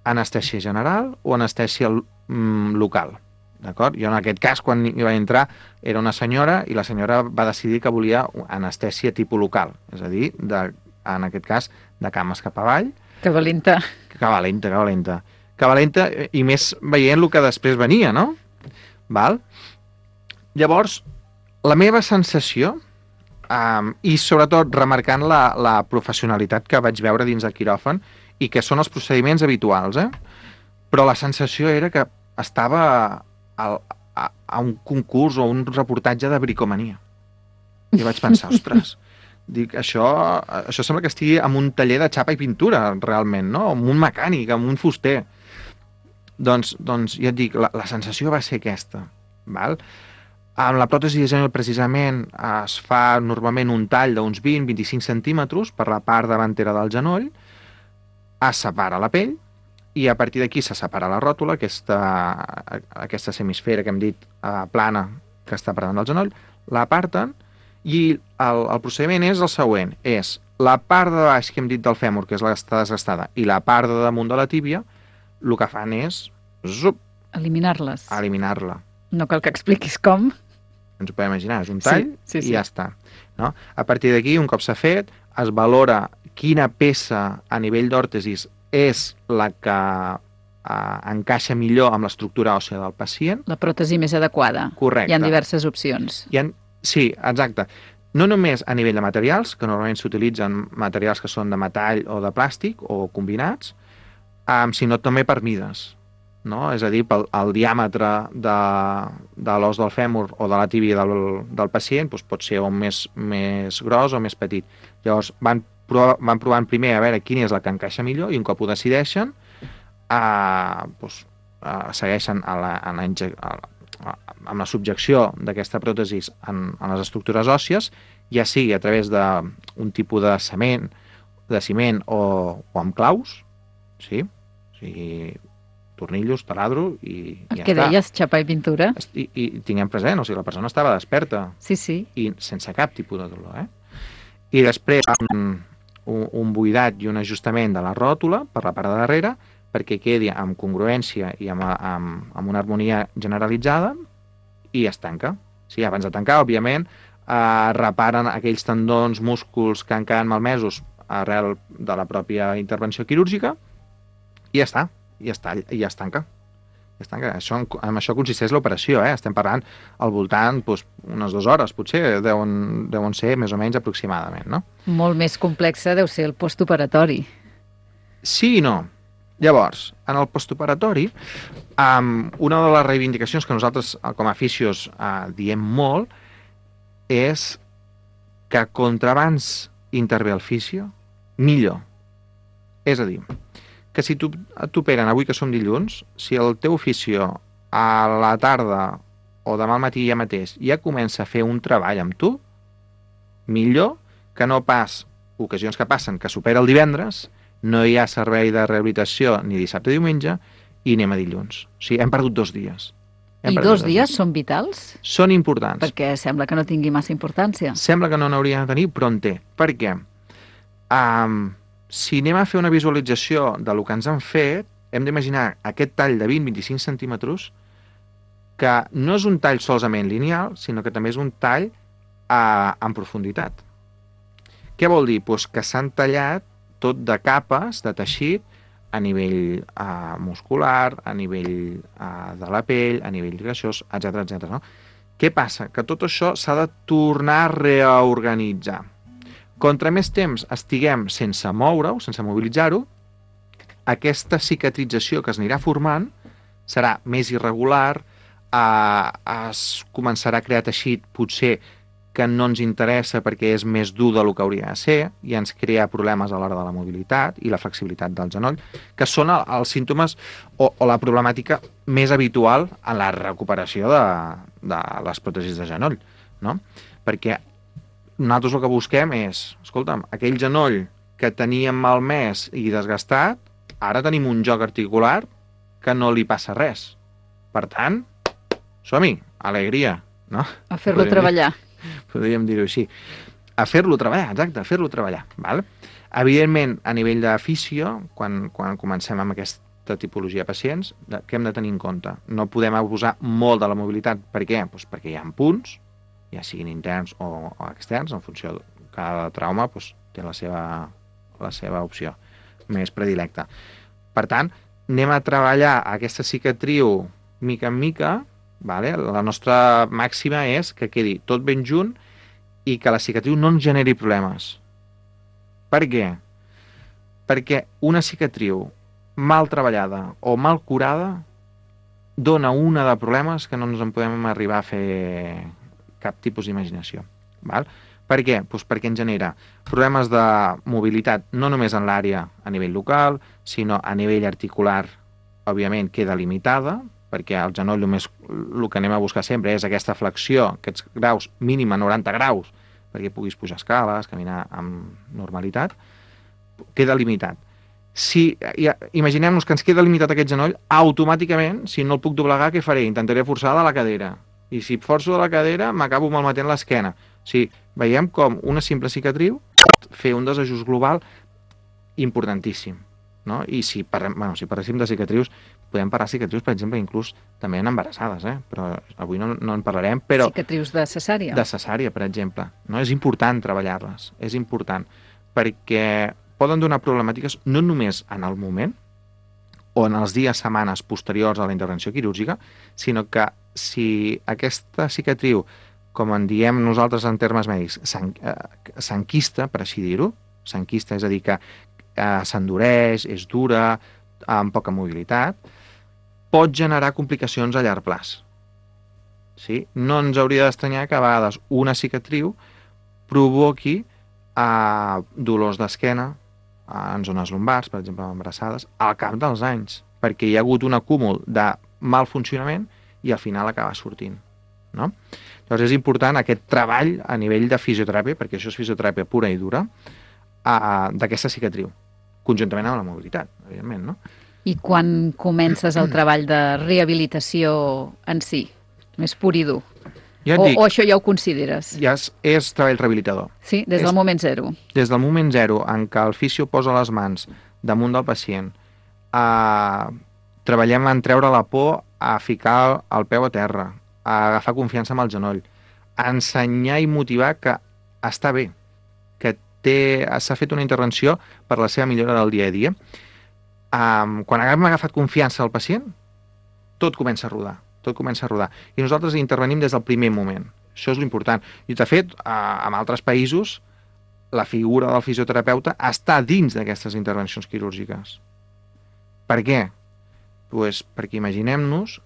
anestèsia general o anestèsia mm, local. D'acord? Jo en aquest cas, quan hi vaig entrar, era una senyora i la senyora va decidir que volia anestèsia tipus local, és a dir, de, en aquest cas, de cames cap avall. Que valenta. Que valenta, que valenta. Que valenta, i més veient el que després venia, no? Val? Llavors, la meva sensació, um, i sobretot remarcant la, la professionalitat que vaig veure dins del quiròfan, i que són els procediments habituals, eh? Però la sensació era que estava A, a, a un concurs o un reportatge de bricomania. I vaig pensar, ostres, dic, això, això sembla que estigui en un taller de xapa i pintura, realment, no? Amb un mecànic, amb un fuster. Doncs, doncs ja et dic, la, la sensació va ser aquesta. Val? Amb la pròtesi de genoll, precisament, es fa normalment un tall d'uns vint a vint-i-cinc centímetres per la part davantera del genoll, es separa la pell, i a partir d'aquí se separa la ròtula, aquesta, aquesta semisfera que hem dit eh, plana que està per davant del genoll, l'aparten i el, el procediment és el següent, és la part de baix que hem dit del fèmur, que és la que està desgastada, i la part de damunt de la tíbia, el que fan és zup, eliminar-les. Eliminar-la. No cal que expliquis com. Ens ho podem imaginar, és un tall sí, sí, sí. i ja està. No? A partir d'aquí, un cop s'ha fet, es valora quina peça a nivell d'òrtesis és la que eh, encaixa millor amb l'estructura òssia del pacient. La pròtesi més adequada. Correcte. Hi ha diverses opcions. Hi ha, sí, exacte. No només a nivell de materials, que normalment s'utilitzen materials que són de metall o de plàstic o combinats, eh, sinó també per mides. no? És a dir, pel el diàmetre de, de l'os del fèmur o de la tíbia del, del pacient doncs pot ser o més, més gros o més petit. Llavors van, provar, van provant primer a veure quina és la que encaixa millor i un cop ho decideixen eh, doncs, eh, segueixen a la, a la, a la, a, amb la subjecció d'aquesta pròtesi en, en les estructures òssies, ja sigui a través d'un tipus de cement, de ciment o, o amb claus, sí? O sigui, tornillos, taladro i, i ja què està. deies, xapa i pintura? I, i tinguem present, o sigui, la persona estava desperta Sí, sí. i sense cap tipus de dolor, eh? I després un, un, un buidat i un ajustament de la ròtula per la part de darrere perquè quedi amb congruència i amb, amb, amb una harmonia generalitzada i es tanca. Sí, abans de tancar, òbviament, eh, reparen aquells tendons, músculs que han quedat malmesos arrel de la pròpia intervenció quirúrgica i ja està, i ja, està, i ja es tanca. Ja es tanca. Això, en això consisteix l'operació, eh? Estem parlant al voltant doncs, unes dues hores, potser, deuen, deuen ser més o menys aproximadament, no? Molt més complexa deu ser el postoperatori. Sí i no. Llavors, en el postoperatori, um, una de les reivindicacions que nosaltres, com a fisios, uh, diem molt és que contra abans intervé el fisio, millor. És a dir, que si tu t'operen avui que som dilluns, si el teu fisio a la tarda o demà al matí ja mateix ja comença a fer un treball amb tu, millor que no pas ocasions que passen que s'opera el divendres, no hi ha servei de rehabilitació ni dissabte ni diumenge i anem a dilluns. O sigui, hem perdut dos dies. Hem I perdut dos dies són vitals? Són importants. Perquè sembla que no tingui massa importància. Sembla que no n'hauria de tenir, però en té. Per què? Um, si anem a fer una visualització de lo que ens han fet, hem d'imaginar aquest tall de vint a vint-i-cinc centímetres que no és un tall solament lineal, sinó que també és un tall uh, en profunditat. Què vol dir? Pues que s'han tallat tot de capes de teixit a nivell uh, muscular, a nivell uh, de la pell, a nivell greixós, etcètera, etcètera. No? Què passa? Que tot això s'ha de tornar a reorganitzar. Contra més temps estiguem sense moure-ho, sense mobilitzar-ho, aquesta cicatrització que es anirà formant serà més irregular, eh, es començarà a crear teixit potser que no ens interessa perquè és més dur del que hauria de ser i ens crea problemes a l'hora de la mobilitat i la flexibilitat del genoll, que són els símptomes o, o la problemàtica més habitual en la recuperació de, de les pròtesis de genoll, no? Perquè nosaltres el que busquem és, escolta'm, aquell genoll que teníem malmès i desgastat, ara tenim un joc articular que no li passa res. Per tant, som-hi, alegria, no? A fer-lo treballar. Podríem dir-ho així. A fer-lo treballar, exacte, a fer-lo treballar. Val? Evidentment, a nivell de fisio, quan, quan comencem amb aquesta tipologia de pacients, què hem de tenir en compte? No podem abusar molt de la mobilitat. Per què? Pues perquè hi ha punts, ja siguin interns o, o externs, en funció de cada trauma pues, té la seva, la seva opció més predilecta. Per tant, anem a treballar aquesta cicatriu mica en mica. Vale? La nostra màxima és que quedi tot ben junt i que la cicatriu no ens generi problemes. Per què? Perquè una cicatriu mal treballada o mal curada dona una de problemes que no ens en podem arribar a fer cap tipus d'imaginació. Val? Per què? Pues perquè ens genera problemes de mobilitat no només en l'àrea a nivell local, sinó a nivell articular, òbviament queda limitada, perquè al genoll només el que anem a buscar sempre és aquesta flexió, aquests graus mínima noranta graus, perquè puguis pujar escales, caminar amb normalitat, queda limitat. Si ja, imaginem-nos que ens queda limitat aquest genoll, automàticament, si no el puc doblegar, què faré? Intentaré forçar de la cadera. I si forço de la cadera, m'acabo malmetent l'esquena. O sigui, veiem com una simple cicatriu pot fer un desajust global importantíssim. No? I si, parlem, bueno, si parléssim de cicatrius, podem parlar de cicatrius, per exemple, inclús també en embarassades, eh? Però avui no, no en parlarem. Però cicatrius de cesària. De cesària, per exemple. No? És important treballar-les, és important, perquè poden donar problemàtiques no només en el moment o en els dies, setmanes posteriors a la intervenció quirúrgica, sinó que si aquesta cicatriu, com en diem nosaltres en termes mèdics, s'enquista, per així dir-ho, s'enquista, és a dir, que eh, s'endureix, és dura, amb poca mobilitat, pot generar complicacions a llarg plaç. Sí? No ens hauria d'estranyar que a vegades una cicatriu provoqui eh, dolors d'esquena eh, en zones lumbars, per exemple, embarassades, al cap dels anys, perquè hi ha hagut un acúmul de mal funcionament i al final acaba sortint. No? Llavors és important aquest treball a nivell de fisioteràpia, perquè això és fisioteràpia pura i dura, eh, d'aquesta cicatriu, conjuntament amb la mobilitat, evidentment, no? I quan comences el treball de rehabilitació en si? Més pur i dur? Ja o, dic, o això ja ho consideres? ja és, és treball rehabilitador. Sí, des del és, moment zero. Des del moment zero en què el fisio posa les mans damunt del pacient, eh, treballem en treure la por, a ficar el peu a terra, a agafar confiança amb el genoll, a ensenyar i motivar que està bé, que s'ha fet una intervenció per la seva millora del dia a dia. Um, quan hem agafat confiança al pacient, tot comença a rodar, tot comença a rodar. I nosaltres intervenim des del primer moment. Això és l'important. I, de fet, uh, en altres països, la figura del fisioterapeuta està dins d'aquestes intervencions quirúrgiques. Per què? Pues perquè imaginem-nos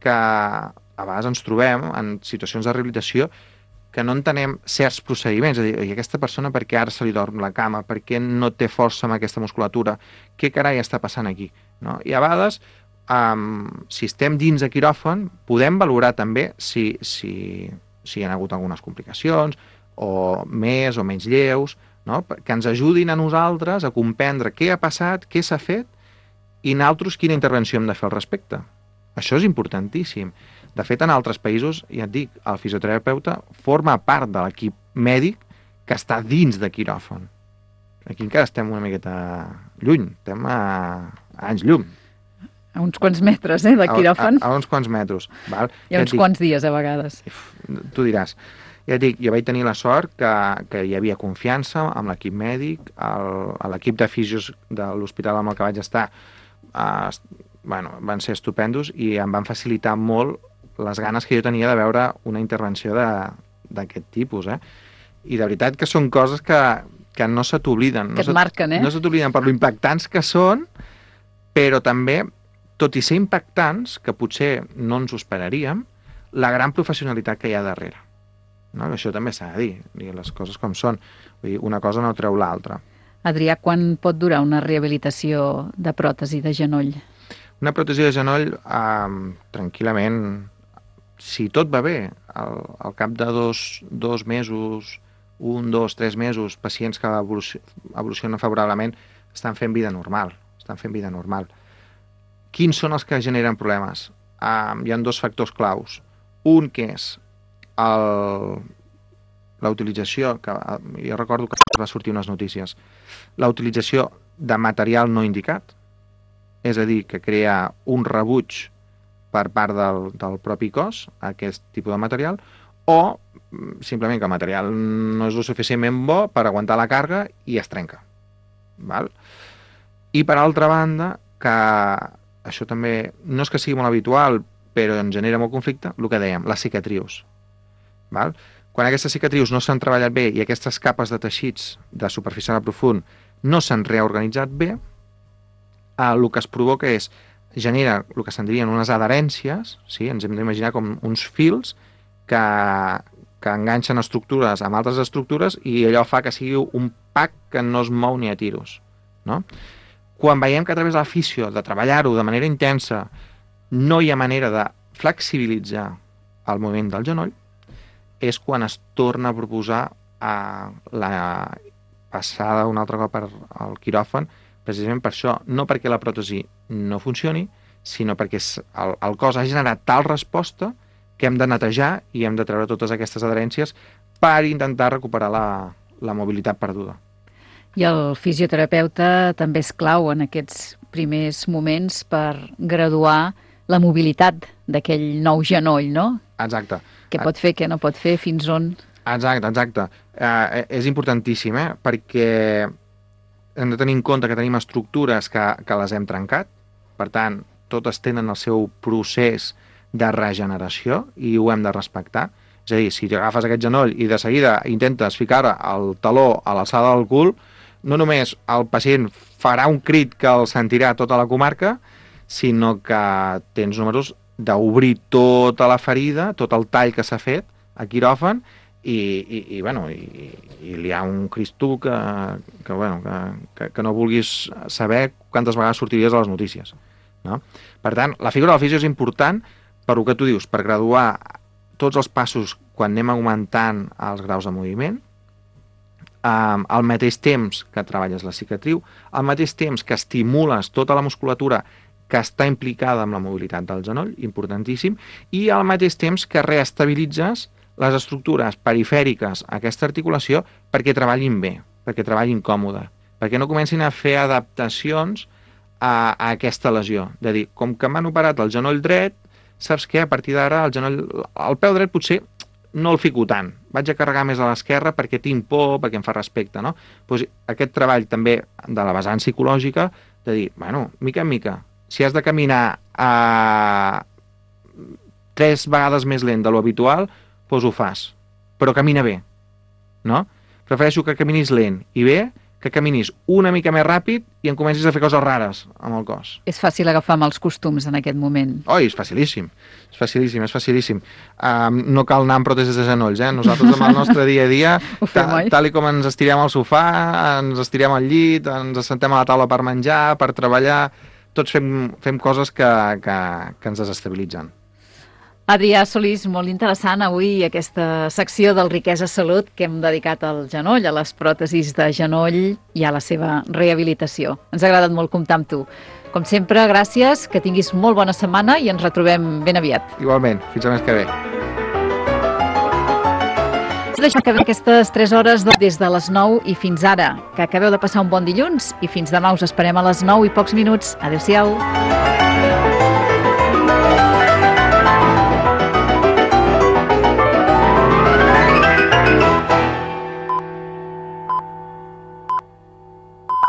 que a vegades ens trobem en situacions de rehabilitació que no entenem certs procediments, és a dir, aquesta persona per què ara se li dorm la cama, per què no té força amb aquesta musculatura, què carai està passant aquí? No? I a vegades, um, si estem dins de quiròfan, podem valorar també si, si, si hi ha hagut algunes complicacions, o més o menys lleus, no? Que ens ajudin a nosaltres a comprendre què ha passat, què s'ha fet, i nosaltres quina intervenció hem de fer al respecte. Això és importantíssim. De fet, en altres països, ja et dic, el fisioterapeuta forma part de l'equip mèdic que està dins de quiròfan. Aquí encara estem una miqueta lluny, estem a, a anys llum. A uns quants metres, eh, de quiròfan. A, a, a uns quants metres. Val? I a uns ja quants dies, a vegades. Tu diràs. Ja et dic, jo vaig tenir la sort que, que hi havia confiança amb l'equip mèdic, el, l'equip de fisios de l'hospital amb el que vaig estar, eh, bueno, van ser estupendos i em van facilitar molt les ganes que jo tenia de veure una intervenció d'aquest tipus, eh? I de veritat que són coses que, que no se t'obliden. Que et no marquen, eh? No se t'obliden per lo impactants que són, però també, tot i ser impactants, que potser no ens ho esperaríem, la gran professionalitat que hi ha darrere. No? Això també s'ha de dir, dir les coses com són. Vull dir, una cosa no treu l'altra. Adrià, quan pot durar una rehabilitació de pròtesi de genoll? Una pròtesi de genoll, eh, tranquil·lament, si tot va bé, al, al cap de dos, dos mesos, un, dos, tres mesos, pacients que evolucionen favorablement estan fent vida normal, estan fent vida normal. Quins són els que generen problemes? Um, hi ha dos factors claus. Un que és la utilització, que jo recordo que va sortir unes notícies, la utilització de material no indicat, és a dir, que crea un rebuig per part del, del propi cos, aquest tipus de material, o simplement que el material no és el suficientment bo per aguantar la càrrega i es trenca. Val? I per altra banda, que això també no és que sigui molt habitual, però en genera molt conflicte, el que dèiem, les cicatrius. Val? Quan aquestes cicatrius no s'han treballat bé i aquestes capes de teixits de superficial a profund no s'han reorganitzat bé, el que es provoca és genera el que se'n dirien unes adherències, sí? Ens hem d'imaginar com uns fils que, que enganxen estructures amb altres estructures i allò fa que sigui un pack que no es mou ni a tiros. No? Quan veiem que a través de la fisio, de treballar-ho de manera intensa, no hi ha manera de flexibilitzar el moviment del genoll, és quan es torna a proposar a la passada un altre cop al quiròfan, precisament per això, no perquè la pròtesi no funcioni, sinó perquè el, el cos ha generat tal resposta que hem de netejar i hem de treure totes aquestes adherències per intentar recuperar la, la mobilitat perduda. I el fisioterapeuta també és clau en aquests primers moments per graduar la mobilitat d'aquell nou genoll, no? Exacte. Què pot fer, què no pot fer, fins on... Exacte, exacte. Eh, és importantíssim, eh? Perquè hem de tenir en compte que tenim estructures que, que les hem trencat, per tant, totes tenen el seu procés de regeneració i ho hem de respectar. És a dir, si agafes aquest genoll i de seguida intentes ficar el taló a l'alçada del cul, no només el pacient farà un crit que el sentirà tota la comarca, sinó que tens números d'obrir tota la ferida, tot el tall que s'ha fet a quiròfan, i, i, i, bueno, i, i hi ha un Cristo que, que, bueno, que, que, que no vulguis saber quantes vegades sortiries a les notícies. No? Per tant, la figura del fisio és important per el que tu dius, per graduar tots els passos quan anem augmentant els graus de moviment, um, al mateix temps que treballes la cicatriu, al mateix temps que estimules tota la musculatura que està implicada amb la mobilitat del genoll, importantíssim, i al mateix temps que reestabilitzes les estructures perifèriques a aquesta articulació perquè treballin bé, perquè treballin còmode, perquè no comencin a fer adaptacions a, a aquesta lesió. De dir, com que m'han operat el genoll dret, saps què? A partir d'ara el genoll, el peu dret potser no el fico tant, vaig a carregar més a l'esquerra perquè tinc por, perquè em fa respecte, no? Pues aquest treball també de la vessant psicològica, de dir, bueno, mica en mica, si has de caminar a tres vegades més lent de lo habitual, doncs ho fas, però camina bé, no? Prefereixo que caminis lent i bé, que caminis una mica més ràpid i em comencis a fer coses rares amb el cos. És fàcil agafar amb els costums en aquest moment. Oi, és facilíssim, és facilíssim, és facilíssim. Um, no cal anar amb pròtesis de genolls, eh? Nosaltres amb el nostre dia a dia, ta, tal i com ens estirem al sofà, ens estirem al llit, ens assentem a la taula per menjar, per treballar, tots fem, fem coses que, que, que ens desestabilitzen. Adrià Solís, molt interessant avui aquesta secció del Riquesa Salut que hem dedicat al genoll, a les pròtesis de genoll i a la seva rehabilitació. Ens ha agradat molt comptar amb tu. Com sempre, gràcies, que tinguis molt bona setmana i ens retrobem ben aviat. Igualment, fins el mes que ve. Deixem que ve aquestes tres hores des de les nou i fins ara. Que acabeu de passar un bon dilluns i fins demà us esperem a les nou i pocs minuts. Adéu-siau.